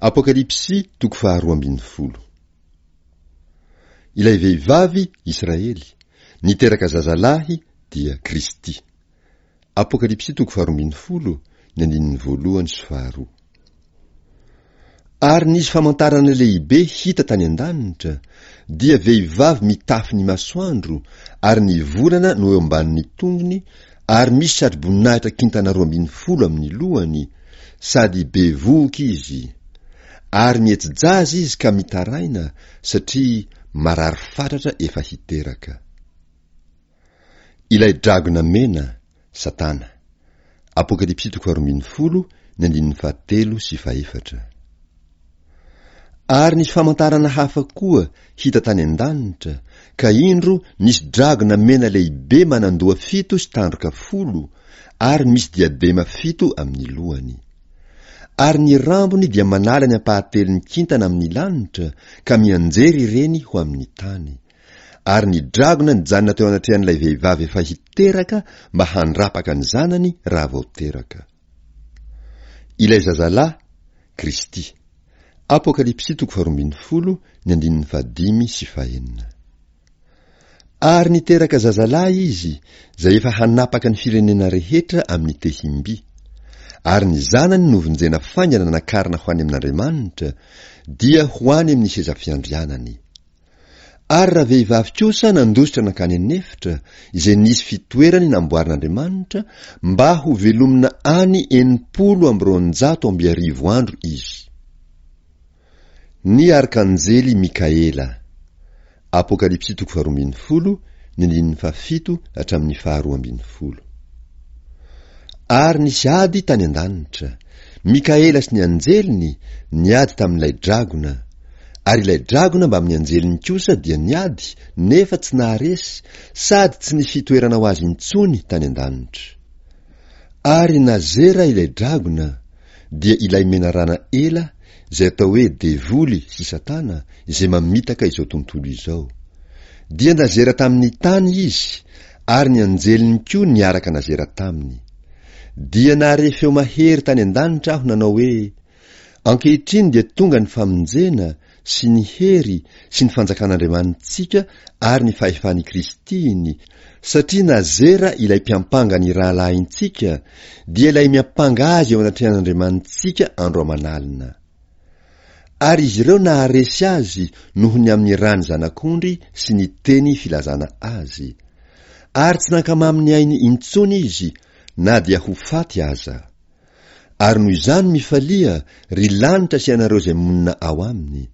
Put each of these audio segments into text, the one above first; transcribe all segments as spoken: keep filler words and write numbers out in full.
Apokalypsy toko faharoa ambin'ny folo. Ilay vehivavy, Israely, niteraka zazalahy dia Kristy. Apokalypsy toko faharoa ambin'ny folo, ny andininy voalohany sy faharoa. Ary nisy famantarana lehibe hita tany an-danitra, dia vehivavy mitafy ny masoandro, ary ny volana no eo ambanin'ny tongony, ary misy satroboninahitra kintana roa ambin'ny folo amin'ny lohany, sady bevohoka izy. Ary mihetsi-jaza izy ka mitaraina, satria marary fatratra efa hiteraka. Ilay dragona mena, Satana. Apokalypsy toko faharoa ambin'ny folo, ny andininy fahatelo sy fahefatra. Ary nisy famantarana hafa koa hita tany an-danitra, ka indro nisy dragona mena lehibe manan-doha fito sy tandroka folo, ary misy diadema fito amin'ny lohany. Ary ny rambony dia manala ny ampahatelon'ny kintana amin'ny lanitra, ka mianjery ireny ho amin'ny tany. Ary ny dragona nijanona teo anatrehan'ilay vehivavy efa hiteraka mba handrapaka ny zanany raha vao teraka. Ilay zazalahy, Kristy. Apokalypsy toko faharoa ambin'ny folo, ny andininy fahadimy sy fahenina. Ary niteraka zazalahy izy, izay efa hanapaka ny firenena rehetra amin'ny tehim-by. Ary ny zanany novonjena faingana nakarina ho any amin'Andriamanitra, dia ho any amin'ny seza fiandrianany. Ary ravehivavy kosa nandositra nankany an'efitra, izay nisy fitoerany namboarin'Andriamanitra, mba ho velomina any enimpolo amby roanjato amby arivo andro izy. Ny arkanjely Mikaela. Apokalypsy toko faharoa ambin'ny folo, ny andininy fahafito hatramin'ny faharoa ambin'ny folo. Ary nisy ady tany an-danitra. Mikaela sy ny anjeliny niady tamin'ilay dragona. Ary ilay dragona mbamin'ny anjeliny kosa dia niady, nefa tsy naharesy, sady tsy nisy fitoerana ho azy intsony tany an-danitra. Ary nazera ilay dragona, dia ilay menarana ela, izay atao hoe devoly sy Satana, izay mamitaka izao tontolo izao. Dia nazera tamin'ny tany izy, ary ny anjeliny koa niaraka nazera taminy. Dia nahare feo mahery tany an-danitra aho nanao hoe, Ankehitriny dia tonga ny famonjena sy ny hery sy ny fanjakan'Andriamanitsika ary ny fahefan'i Kristiny, satria nazera ilay mpiampanga ny rahalahintsika, dia ilay miampanga azy eo anatrehan'Andriamanitsika andro aman'alina. Ary izy ireo naharesy azy noho ny amin'ny ràn'ny Zanak'ondry sy ny teny filazana azy. Ary tsy nankamamy ny ainy intsony izy, na dia ho faty aza. Ary noho izany mifalia, ry lanitra sy ianareo izay monina ao aminy.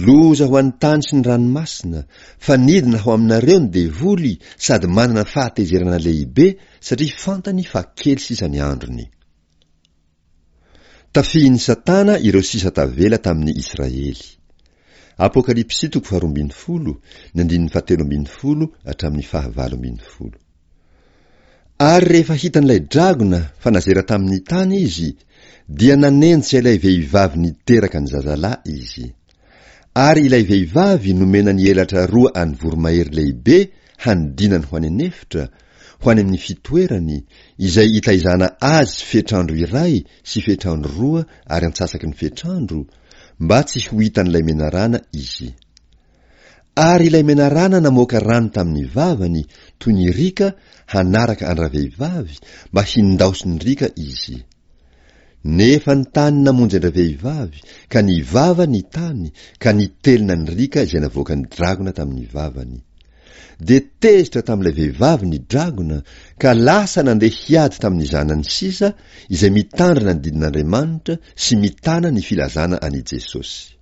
Loza ho an'ny tany sy ny ranomasina, fa nidina ho aminareo ny devoly sady manana fahatezerana lehibe satria fantany fa kely sisa ny androny. Tafihin'i Satana ireo sisa tavela tamin'ny Israely. Apokalypsy toko faharoa ambin'ny folo, ny andininy fahatelo ambin'ny folo hatramin'ny fahavalo ambin'ny folo. Ary rehefa hitan'ilay dragona fa nazera tamin'ny tany izy, dia nanenjika ilay vehivavy niteraka ny zazalahy izy. Ary ilay vehivavy nomena ny elatra roa an'ny voromahery lehibe hanidinany ho any an'efitra, ho any amin'ny fitoerany, izay itaizana azy fetr'andro iray sy fetr'andro roa ary antsasaky ny fetr'andro, mba tsy ho hitan'ilay menarana izy. Ary ilay menarana namoaka rano tamin'ny vavany toy ny riaka hanaraka an-dravehivavy mba hindaosin'ny riaka izy. Nefa ny tany namonjy an-dravehivavy, ka nivava ny tany, ka nitelina ny riaka izay navoakan'ny dragona tamin'ny vavany. Dia tezitra tamin'ilay vehivavy ny dragona, ka lasa nandeha hiady tamin'ny zanany sisa, izay mitandrina ny didin'Andriamanitra sy mitana ny filazana an'i Jesosy.